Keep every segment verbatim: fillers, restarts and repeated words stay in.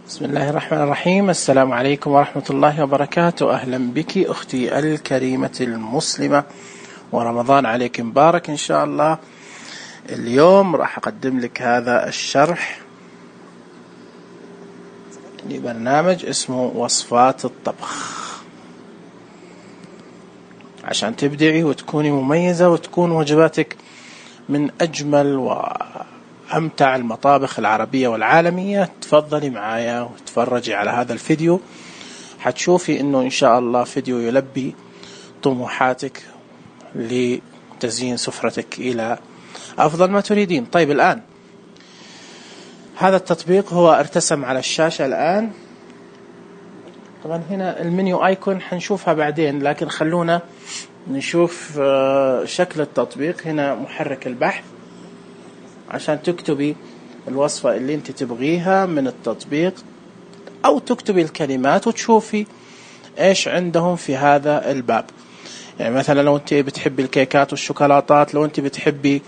بسم الله الرحمن الرحيم. السلام عليكم ورحمة الله وبركاته. أهلا بك أختي الكريمة المسلمة، ورمضان عليك مبارك إن شاء الله. اليوم راح أقدم لك هذا الشرح لبرنامج اسمه وصفات الطبخ، عشان تبدعي وتكوني مميزة وتكون وجباتك من أجمل وأمتع المطابخ العربية والعالمية. تفضلي معايا وتفرجي على هذا الفيديو، حتشوفي إنه إن شاء الله فيديو يلبي طموحاتك لتزيين سفرتك إلى أفضل ما تريدين. طيب، الآن هذا التطبيق هو ارتسم على الشاشة الآن. طبعا هنا المنيو ايكون حنشوفها بعدين، لكن خلونا نشوف شكل التطبيق. هنا محرك البحث عشان تكتبي الوصفة اللي انت تبغيها من التطبيق، او تكتبي الكلمات وتشوفي ايش عندهم في هذا الباب. يعني مثلا لو انت بتحبي الكيكات والشوكولاتات، لو انت بتحبي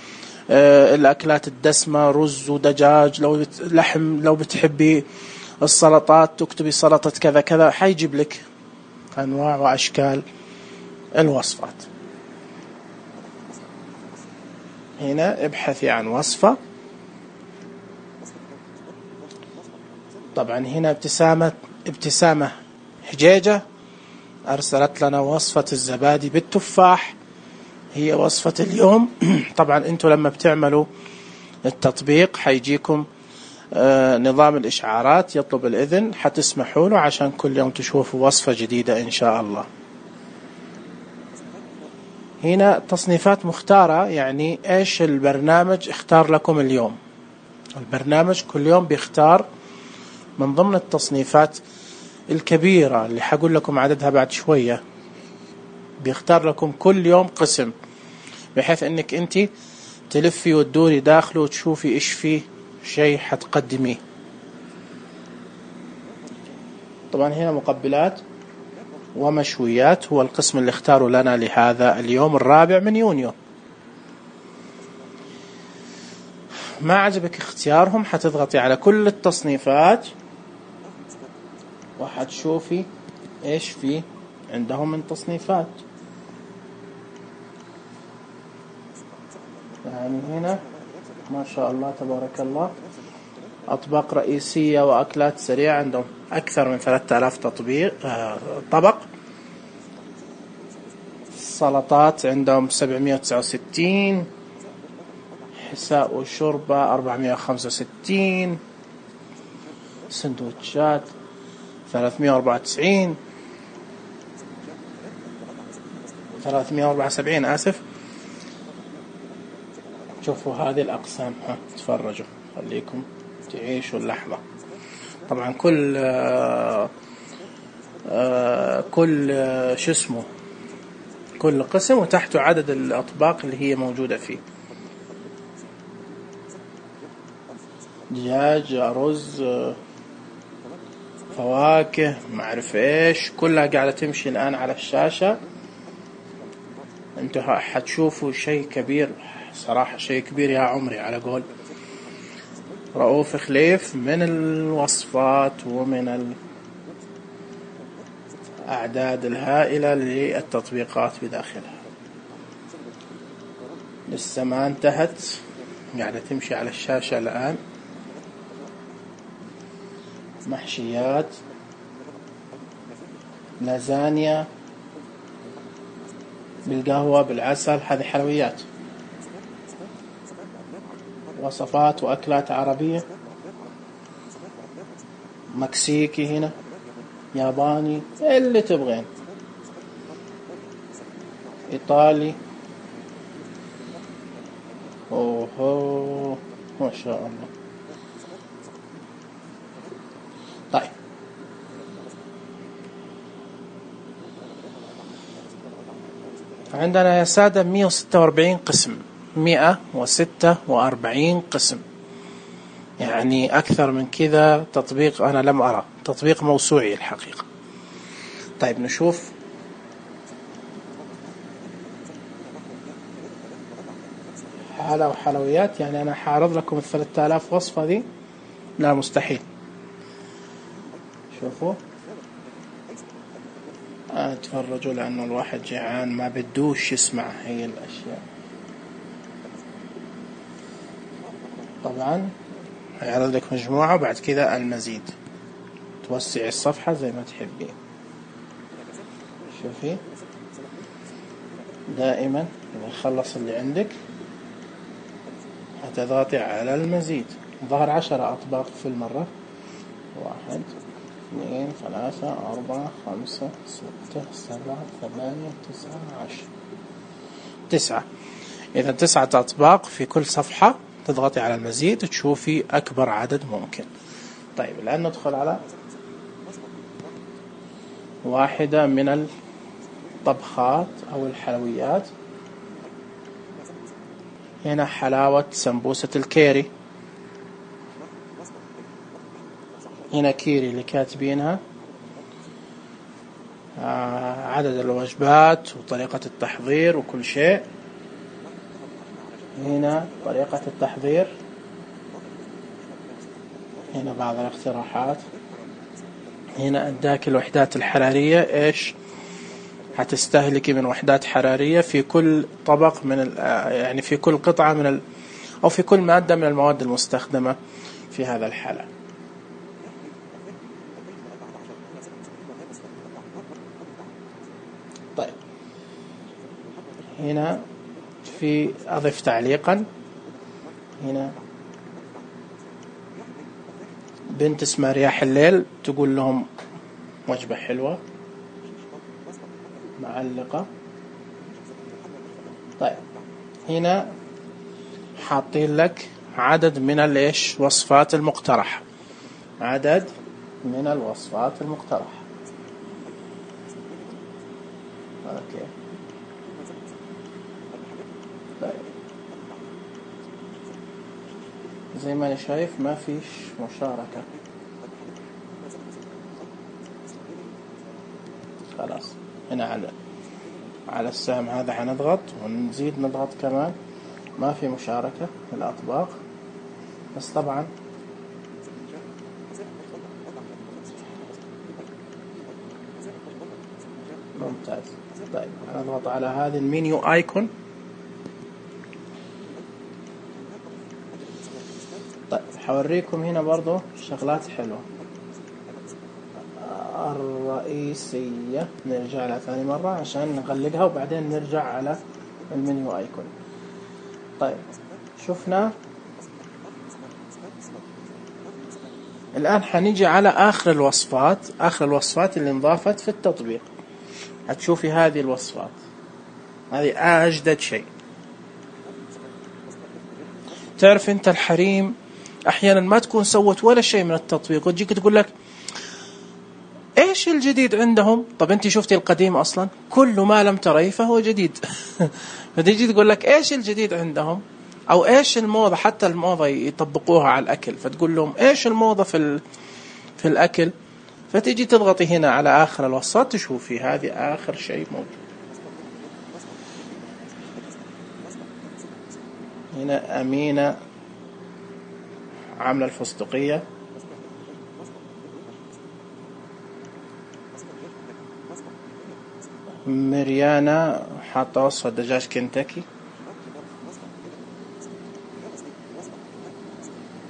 الاكلات الدسمة رز ودجاج، لو لحم، لو بتحبي السلطات تكتبي سلطة كذا كذا، حيجيب لك أنواع وأشكال الوصفات. هنا ابحثي عن وصفة. طبعا هنا ابتسامة ابتسامة حجيجة أرسلت لنا وصفة الزبادي بالتفاح، هي وصفة اليوم. طبعا انتوا لما بتعملوا التطبيق حيجيكم آه نظام الإشعارات يطلب الإذن، حتسمحوا له عشان كل يوم تشوفوا وصفة جديدة إن شاء الله. هنا تصنيفات مختارة، يعني إيش البرنامج اختار لكم اليوم. البرنامج كل يوم بيختار من ضمن التصنيفات الكبيرة اللي حقول لكم عددها بعد شوية، بيختار لكم كل يوم قسم، بحيث انك انت تلفي وتدوري داخله وتشوفي ايش فيه شيء حتقدميه. طبعا هنا مقبلات ومشويات هو القسم اللي اختاروا لنا لهذا اليوم الرابع من يونيو. ما عجبك اختيارهم حتضغطي على كل التصنيفات وحتشوفي ايش فيه عندهم من تصنيفات. يعني هنا ما شاء الله تبارك الله أطباق رئيسية وأكلات سريعة، عندهم أكثر من ثلاثة آلاف تطبيق آه طبق. السلطات عندهم سبعمائة وتسعة وستين، حساء وشوربة أربعمائة وخمسة وستين، سندوتشات ثلاثمائة وأربعة وتسعين، ثلاثمائة وأربعة وسبعين آسف. شوفوا هذه الأقسام، ها تفرجوا خليكم تعيشوا اللحظة. طبعا كل آآ آآ كل آآ شو اسمه كل قسم وتحته عدد الأطباق اللي هي موجودة فيه. دجاج، رز، فواكه، ما أعرف إيش، كلها قاعدة تمشي الآن على الشاشة. انتوا حتشوفوا شيء كبير صراحة، شيء كبير يا عمري على قول رؤوف خليف من الوصفات ومن الأعداد الهائلة للتطبيقات بداخلها. لسه ما انتهت، قاعدة تمشي على الشاشة الآن. محشيات، لازانيا بالقهوة بالعسل، هذه حلويات. وصفات وأكلات عربية، مكسيكي، هنا ياباني، اللي تبغين، إيطالي. أوه ما شاء الله. طيب، عندنا يا سادة مئة وستة وأربعين قسم، مئة وستة وأربعين قسم، يعني أكثر من كذا تطبيق أنا لم أرى، تطبيق موسوعي الحقيقة. طيب نشوف. حلا وحلويات، يعني أنا حاعرض لكم الثلاثة آلاف وصفة ذي؟ لا مستحيل. شوفوا آه تفرجوا لأنه الواحد جيعان ما بدوش يسمع هي الأشياء. طبعا هيعرض لك مجموعة وبعد كذا المزيد، توسعي الصفحة زي ما تحبين. شوفي دائما إذا خلص اللي عندك هتضغطي على المزيد. ظهر عشرة أطباق في المرة، واحد اثنين ثلاثة أربعة خمسة ستة سبعة ثمانية تسعة عشر، تسعة. إذا تسعة أطباق في كل صفحة تضغطي على المزيد وتشوفي أكبر عدد ممكن. طيب الآن ندخل على واحدة من الطبخات أو الحلويات. هنا حلاوة سمبوسة الكيري، هنا كيري اللي كاتبينها، آه عدد الوجبات وطريقة التحضير وكل شيء. هنا طريقة التحضير، هنا بعض الاقتراحات. هنا اداك الوحدات الحرارية ايش هتستهلكي من وحدات حرارية في كل طبق من يعني في كل قطعة من ال أو في كل مادة من المواد المستخدمة في هذا الحالة. طيب هنا في أضف تعليقا. هنا بنت اسمها رياح الليل تقول لهم وجبة حلوة معلقة. طيب هنا حاطين لك عدد من الايش وصفات المقترحة، عدد من الوصفات المقترحة. اوكي طيب زي ما انا شايف ما فيش مشاركة، خلاص. هنا على على السهم هذا حنضغط ونزيد نضغط كمان، ما في مشاركة في الأطباق. بس طبعا ممتاز. طيب نضغط على هذه المنيو ايكون. طيب حوريكم هنا برضو شغلات حلوة. الرئيسية نرجع لها ثاني مرة عشان نغلقها وبعدين نرجع على المنيو ايكون. طيب شفنا الآن حنيجي على آخر الوصفات، آخر الوصفات اللي انضافت في التطبيق. هتشوفي هذه الوصفات، هذه أجدد شيء. تعرف أنت الحريم أحيانا ما تكون سوت ولا شيء من التطبيق وتجيك تقول لك إيش الجديد عندهم؟ طب أنت شفتي القديم أصلا؟ كل ما لم تريه فهو جديد. فتيجي تقول لك إيش الجديد عندهم؟ أو إيش الموضة، حتى الموضة يطبقوها على الأكل، فتقول لهم إيش الموضة في في الأكل، فتيجي تضغطي هنا على آخر الوصفات تشوفي هذه آخر شيء موجود. هنا أمينة عاملة الفستقية، مريانا حاطة وصفة دجاج كنتاكي،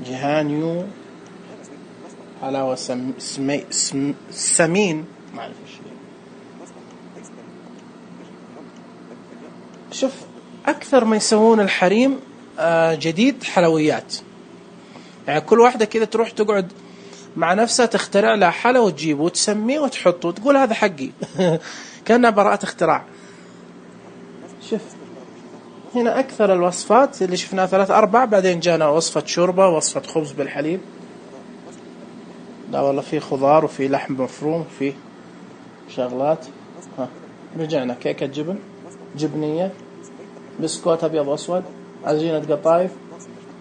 جهانيو حلاوة سم سمي سم سمين ما أعرف إيش. شوف أكثر ما يسوون الحريم جديد حلويات، يعني كل واحدة كذا تروح تقعد مع نفسها تخترع لها حلا وتجيبه وتسميه وتحطه وتقول هذا حقي. كأنها براءة اختراع. شوف هنا أكثر الوصفات اللي شفناها ثلاث أربع، بعدين جانا وصفة شوربة، وصفة خبز بالحليب، لا والله في خضار وفي لحم مفروم وفي شغلات. ها رجعنا كيكة جبن جبنية، بسكوت أبيض وأسود، عجينة قطايف،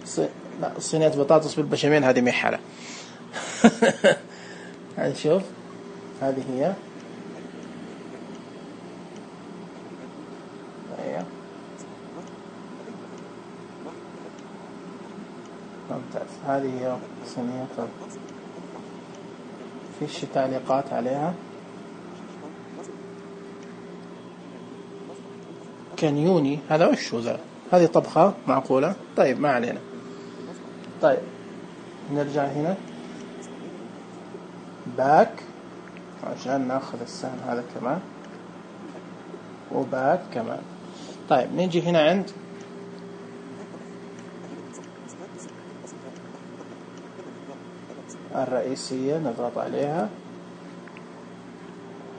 صي... لا صينية بطاطس بالبشاميل هذه ميحلة. هنشوف هذه هي. أيوة ممتاز. هذه هي صينية فيش تعليقات عليها. كانيوني هذا وش هو ذا؟ هذه طبخة معقولة. طيب ما علينا. طيب نرجع هنا باك عشان ناخذ السهم هذا كمان، وباك كمان. طيب نيجي هنا عند الرئيسية، نضغط عليها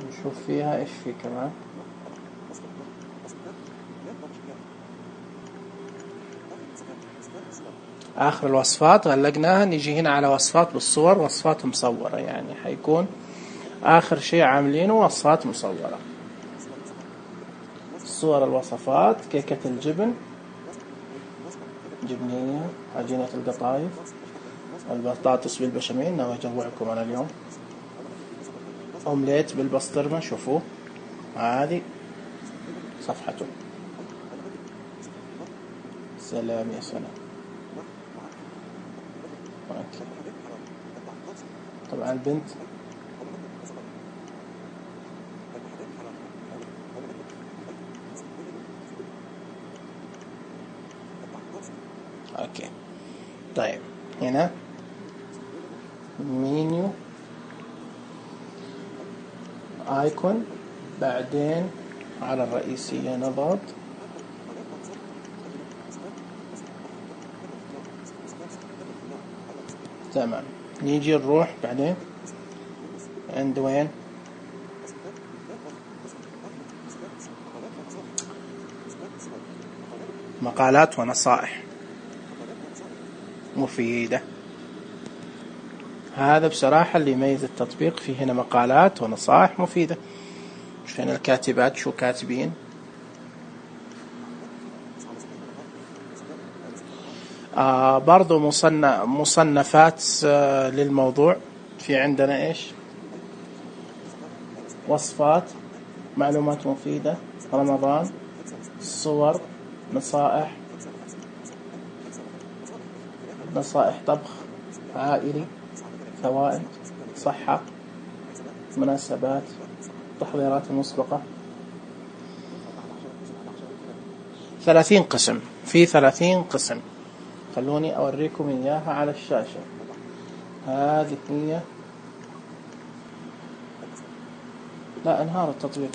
نشوف فيها ايش في كمان. آخر الوصفات غلقناها. نيجي هنا على وصفات بالصور، وصفات مصورة، يعني حيكون آخر شيء عاملينه وصفات مصورة. صور الوصفات: كيكة الجبن، جبنية، عجينة القطايف، البطاطس بالبشاميل، ناوي أجوعكم أنا اليوم. أومليت بالبسطرمة، شوفوا هذه صفحته. سلام يا سلام. طبعا البنت اوكي. طيب هنا مينيو ايكون، بعدين على الرئيسية نضغط. تمام. نيجي نروح بعدين عند وين؟ مقالات ونصائح مفيدة. هذا بصراحة اللي يميز التطبيق، فيه هنا مقالات ونصائح مفيدة. شوف هنا الكاتبات شو كاتبين. آه برضو مصنف مصنفات آه للموضوع. في عندنا إيش؟ وصفات، معلومات مفيدة، رمضان، صور، نصائح، نصائح طبخ عائلي، فوائد، صحة، مناسبات، تحضيرات مسبقة. ثلاثين قسم، في ثلاثين قسم. خلوني أوريكم إياها على الشاشة. هذه هي. لا انهار التطبيق،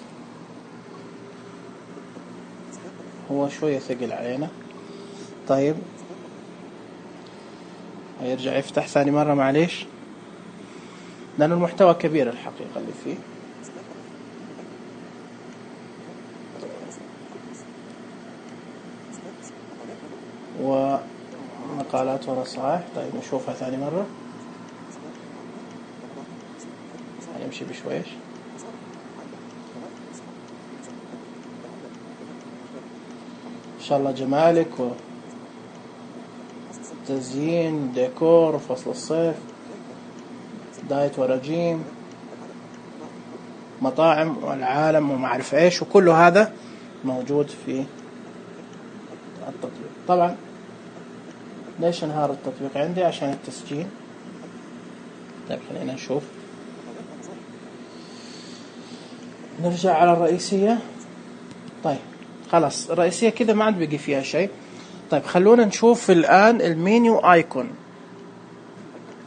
هو شوية ثقل علينا. طيب هيرجع يفتح ثاني مرة، معليش، لأن المحتوى كبير الحقيقة اللي فيه. ومقالات ونصائح. طيب نشوفها ثاني مرة، هنمشي بشويش. إن شاء الله جمالك وتزيين ديكور فصل الصيف، دايت ورجيم، مطاعم والعالم وما أعرف إيش، وكل هذا موجود في التطبيق. طبعا ليش انهار التطبيق عندي؟ عشان التسجيل. طيب خلينا نشوف. نرجع على الرئيسية. طيب خلاص الرئيسية كذا ما عاد بقي فيها شيء. طيب خلونا نشوف الآن المينيو آيكون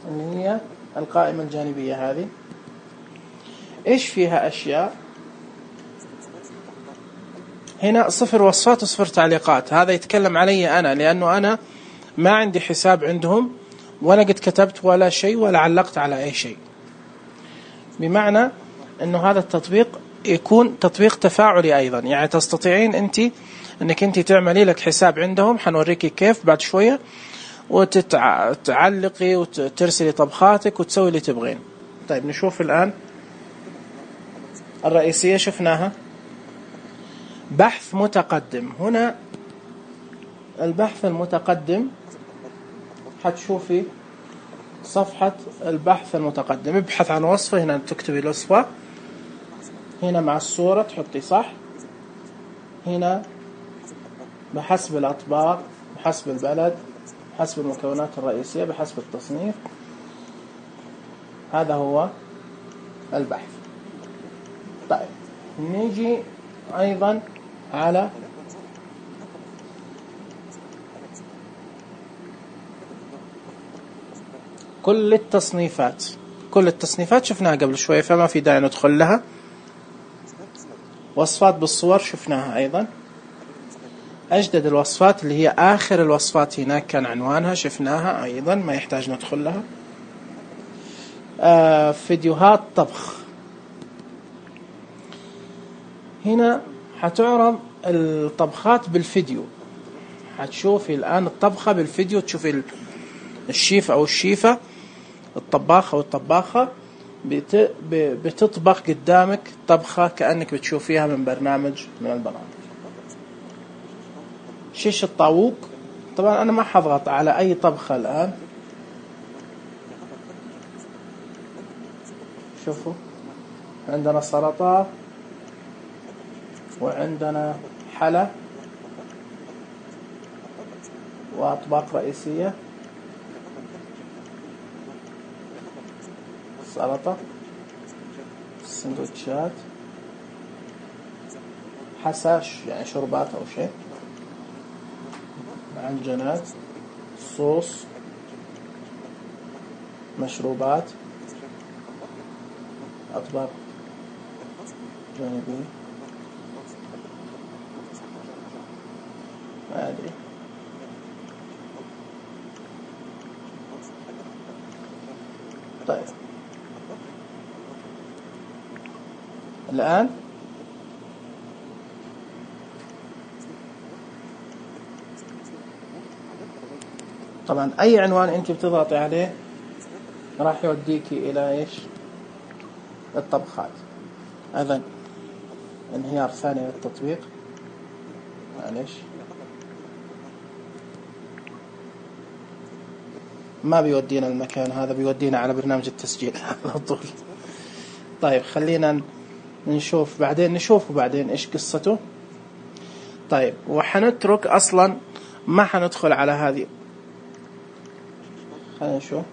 اللي هي القائمة الجانبية هذه. إيش فيها أشياء؟ هنا صفر وصفات وصفر تعليقات. هذا يتكلم علي أنا، لأنه أنا ما عندي حساب عندهم، ولا قد كتبت ولا شيء ولا علقت على أي شيء. بمعنى أنه هذا التطبيق يكون تطبيق تفاعلي أيضا، يعني تستطيعين أنت أنك أنت تعملي لك حساب عندهم. حنوريكي كيف بعد شوية، وتعلقي وترسلي طبخاتك وتسوي اللي تبغين. طيب نشوف الآن الرئيسية، شفناها. بحث متقدم. هنا البحث المتقدم حتشوفي صفحة البحث المتقدم. ابحث عن وصفة، هنا تكتبي الوصفة، هنا مع الصورة تحطي صح، هنا بحسب الأطباق، بحسب البلد، بحسب المكونات الرئيسية، بحسب التصنيف. هذا هو البحث. طيب نيجي أيضا على كل التصنيفات. كل التصنيفات شفناها قبل شوية فما في داعي ندخل لها. وصفات بالصور شفناها أيضا. أجدد الوصفات اللي هي آخر الوصفات هناك كان عنوانها شفناها أيضا ما يحتاج ندخل لها. آه فيديوهات طبخ، هنا حتعرض الطبخات بالفيديو. حتشوفي الآن الطبخة بالفيديو، تشوفي الشيف أو الشيفة الطباخ أو الطباخة بتطبخ قدامك طبخة كأنك بتشوفيها من برنامج من البرامج. شيش الطاووق، طبعا أنا ما حضغط على أي طبخة الآن. شوفوا عندنا سلطة وعندنا حلا وأطباق رئيسية. سلطة، سندوتشات، حساش يعني شربات أو شيء، معجنات، صوص، مشروبات، أطباق جانبية. ما أدري. طيب الآن طبعا أي عنوان أنت بتضغطي عليه راح يوديكي إلى إيش؟ الطبخات. أيضا انهيار ثاني للتطبيق، معليش ما بيودينا المكان هذا، بيودينا على برنامج التسجيل على طول. طيب خلينا نشوف بعدين، نشوفه بعدين إيش قصته. طيب وحنترك أصلا ما حندخل على هذه. خلينا نشوف.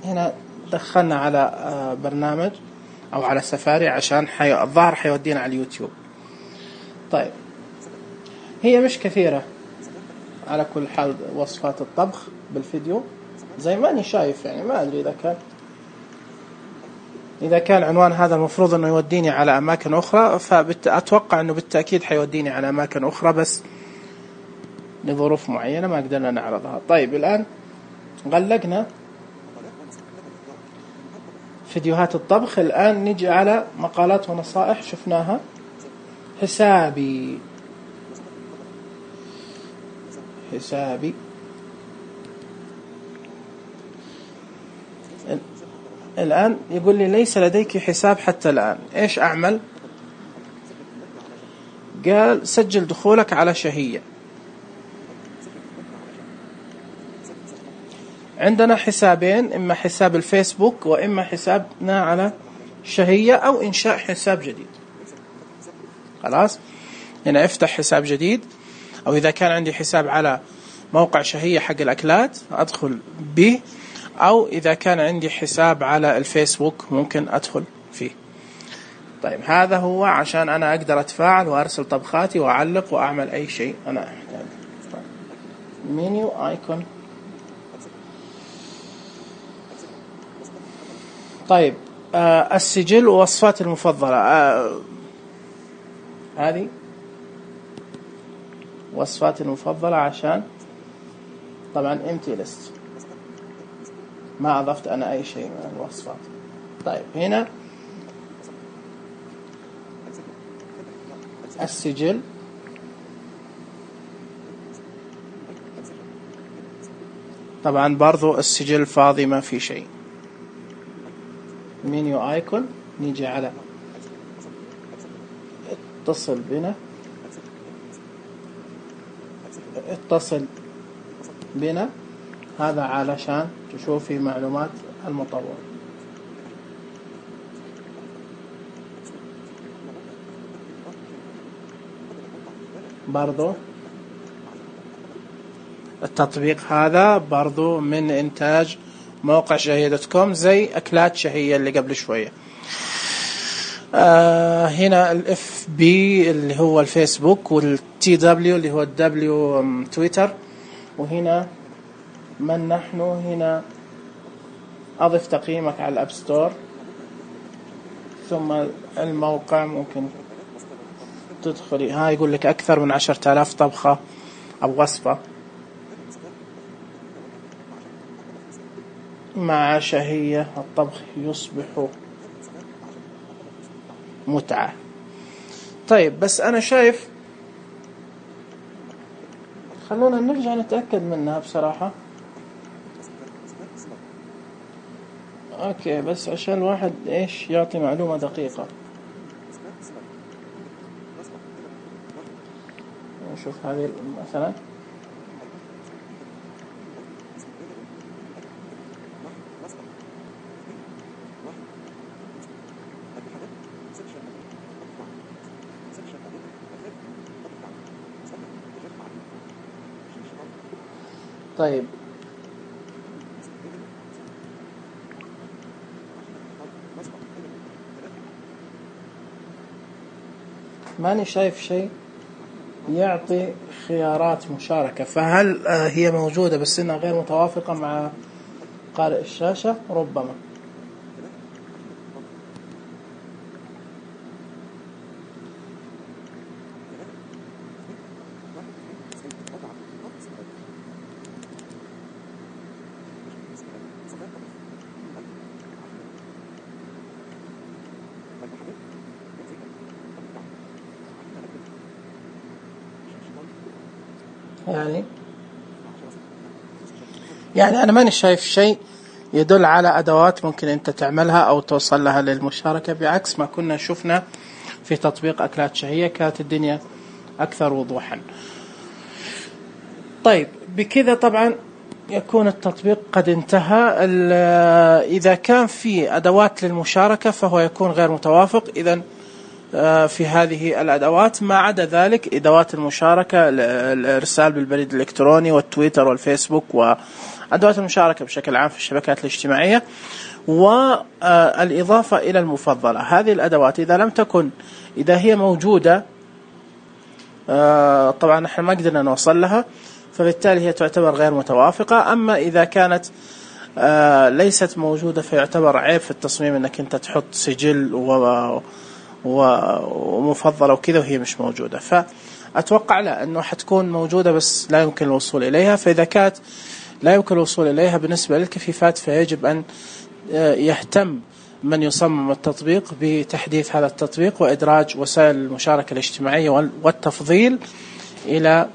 هنا دخلنا على برنامج أو على سفاري عشان حي... الظاهر حيودينا على اليوتيوب. طيب هي مش كثيرة على كل حال وصفات الطبخ بالفيديو زي ما أني شايف، يعني ما أدري إذا كان إذا كان عنوان هذا المفروض أنه يوديني على أماكن أخرى، فأتوقع أنه بالتأكيد حيوديني على أماكن أخرى بس لظروف معينة ما قدرنا نعرضها. طيب الآن غلقنا فيديوهات الطبخ. الآن نجي على مقالات ونصائح شفناها. حسابي حسابي الآن يقول لي ليس لديك حساب حتى الآن. إيش أعمل؟ قال سجل دخولك على شهية. عندنا حسابين، إما حساب الفيسبوك وإما حسابنا على شهية أو إنشاء حساب جديد. خلاص هنا افتح حساب جديد، أو إذا كان عندي حساب على موقع شهية حق الأكلات أدخل به، أو إذا كان عندي حساب على الفيسبوك ممكن أدخل فيه. طيب هذا هو عشان أنا أقدر أتفاعل وأرسل طبخاتي وأعلق وأعمل أي شيء أنا أحتاج. منيو آيكون. طيب آه السجل ووصفات المفضلة. آه هذه وصفات المفضلة عشان طبعا empty list، ما أضفت أنا أي شيء من الوصفات. طيب هنا السجل. طبعا برضو السجل فاضي ما في شيء. منيو آيكون. نيجي على اتصل بنا. اتصل بنا هذا علشان تشوفي معلومات المطور. برضو التطبيق هذا برضو من إنتاج موقع شهية دوت كوم، زي أكلات شهية اللي قبل شوية. آه هنا الاف بي اللي هو الفيسبوك، والتي دبليو اللي هو الدبليو تويتر، وهنا من نحن. هنا أضف تقييمك على الأب ستور، ثم الموقع ممكن تدخلي. ها يقول لك أكثر من عشرة آلاف طبخة أو وصفة مع شهية الطبخ يصبح متعة. طيب بس أنا شايف، خلونا نرجع نتأكد منها بصراحة. أوكي، بس عشان الواحد إيش يعطي معلومة دقيقة. نشوف هذه مثلا. طيب ماني شايف شيء يعطي خيارات مشاركة، فهل هي موجودة بس إنها غير متوافقة مع قارئ الشاشة؟ ربما. يعني يعني أنا ماني شايف شيء يدل على أدوات ممكن أنت تعملها أو توصل لها للمشاركة، بعكس ما كنا شفنا في تطبيق أكلات شهية كانت الدنيا أكثر وضوحا. طيب بكذا طبعا يكون التطبيق قد انتهى. إذا كان في أدوات للمشاركة فهو يكون غير متوافق إذن في هذه الأدوات. ما عدا ذلك أدوات المشاركة، الإرسال بالبريد الإلكتروني والتويتر والفيسبوك وأدوات المشاركة بشكل عام في الشبكات الاجتماعية، والإضافة إلى المفضلة. هذه الأدوات إذا لم تكن إذا هي موجودة طبعا نحن ما قدرنا نوصل لها، فبالتالي هي تعتبر غير متوافقة. أما إذا كانت ليست موجودة فيعتبر عيب في التصميم أنك أنت تحط سجل و ومفضلة وكذا وهي مش موجودة. فأتوقع لا أنه حتكون موجودة بس لا يمكن الوصول إليها. فإذا كانت لا يمكن الوصول إليها بالنسبة للكفيفات فيجب أن يهتم من يصمم التطبيق بتحديث هذا التطبيق وإدراج وسائل المشاركة الاجتماعية والتفضيل إلى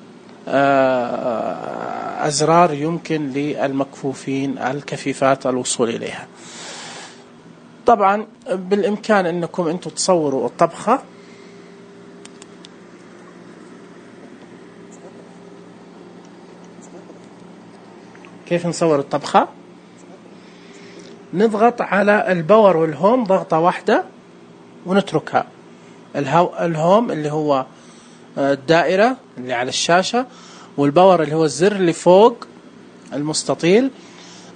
أزرار يمكن للمكفوفين الكفيفات الوصول إليها. طبعا بالإمكان أنكم أنتم تصوروا الطبخة. كيف نصور الطبخة؟ نضغط على الباور والهوم ضغطة واحدة ونتركها. الهوم اللي هو الدائرة اللي على الشاشة، والباور اللي هو الزر اللي فوق المستطيل،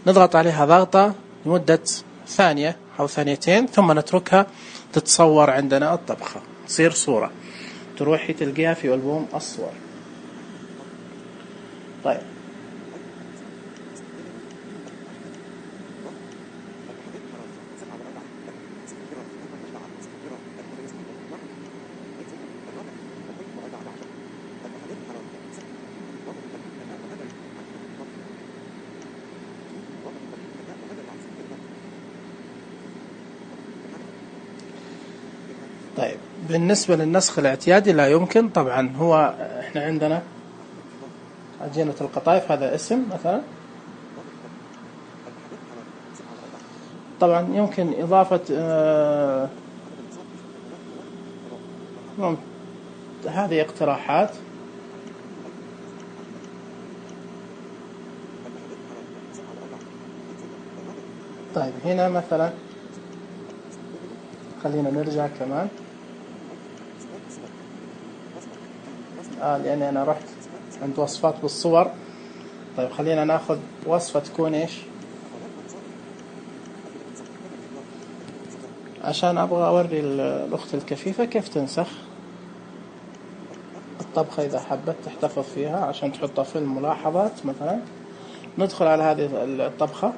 نضغط عليها ضغطة لمدة ثانية أو ثانيتين ثم نتركها تتصور عندنا الطبخة، تصير صورة تروحي تلقيها في ألبوم الصور. طيب طيب بالنسبة للنسخ الاعتيادي لا يمكن. طبعا هو احنا عندنا عجينة القطايف، هذا اسم مثلا. طبعا يمكن إضافة آه هذه اقتراحات. طيب هنا مثلا خلينا نرجع كمان آه لأني أنا رحت عند وصفات بالصور طيب خلينا ناخذ وصفة تكون ايش، عشان ابغى اوري الاخت الكفيفة كيف تنسخ الطبخة اذا حبت تحتفظ فيها عشان تحطها في الملاحظات مثلا. ندخل على هذه الطبخة،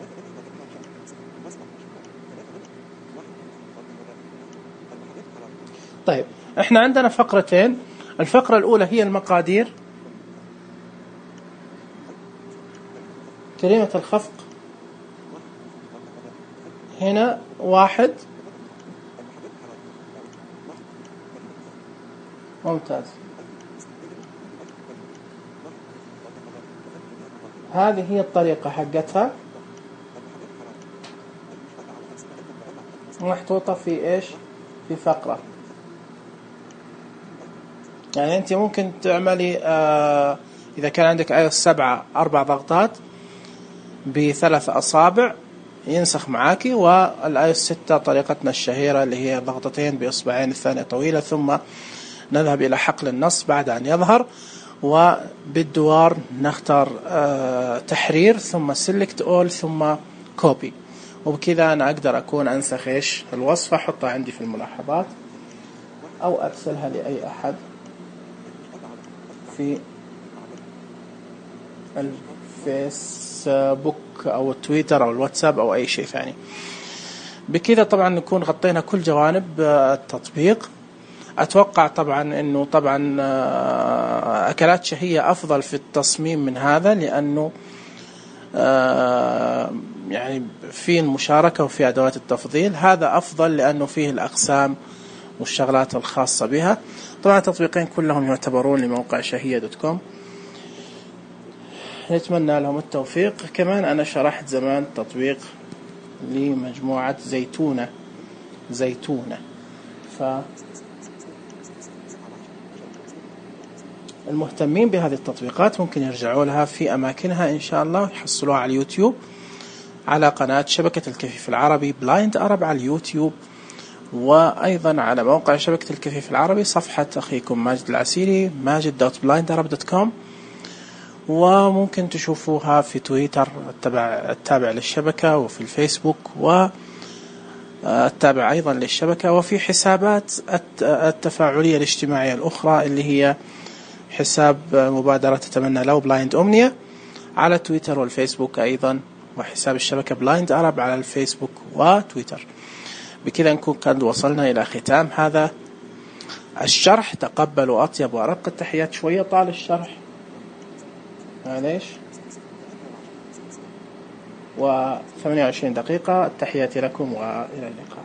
طيب احنا عندنا فقرتين. الفقرة الاولى هي المقادير، كريمة الخفق هنا واحد، ممتاز. هذه هي الطريقة حقتها محطوطة في ايش، في فقرة. يعني انت ممكن تعملي آه اذا كان عندك اي اس سبعة اربع ضغطات بثلاث اصابع ينسخ معاكي، والاي اس ستة طريقتنا الشهيرة اللي هي ضغطتين باصبعين الثانية طويلة ثم نذهب الى حقل النص بعد ان يظهر، وبالدوار نختار آه تحرير ثم سيلكت اول ثم كوبي، وبكذا انا اقدر اكون انسخ ايش الوصفة احطها عندي في الملاحظات او ارسلها لاي احد في الفيسبوك او التويتر او الواتساب او اي شيء ثاني. بكذا طبعا نكون غطينا كل جوانب التطبيق. اتوقع طبعا انه طبعا اكلات شهية افضل في التصميم من هذا، لانه يعني في المشاركة وفي ادوات التفضيل. هذا افضل لانه فيه الاقسام والشغلات الخاصة بها. طبعا التطبيقين كلهم يعتبرون لموقع شهية دوت كوم، نتمنى لهم التوفيق. كمان أنا شرحت زمان تطبيق لمجموعة زيتونة زيتونة فالمهتمين بهذه التطبيقات ممكن يرجعوا لها في أماكنها إن شاء الله، يحصلوها على اليوتيوب على قناة شبكة الكفيف العربي بلايند أرب على اليوتيوب، وأيضا على موقع شبكة الكفيف العربي صفحة أخيكم ماجد العسيري ماجد دوت بلايند أرب دوت كوم، وممكن تشوفوها في تويتر التابع, التابع للشبكة، وفي الفيسبوك والتابع أيضا للشبكة، وفي حسابات التفاعلية الاجتماعية الأخرى اللي هي حساب مبادرة تتمنى لو بلايند أمنية على تويتر والفيسبوك أيضا، وحساب الشبكة بلايند أرب على الفيسبوك وتويتر. بكذا نكون قد وصلنا إلى ختام هذا الشرح. تقبلوا أطيب وأرق التحيات. شوية طال الشرح معليش، و ثمانية وعشرين دقيقة. التحياتي لكم وإلى اللقاء.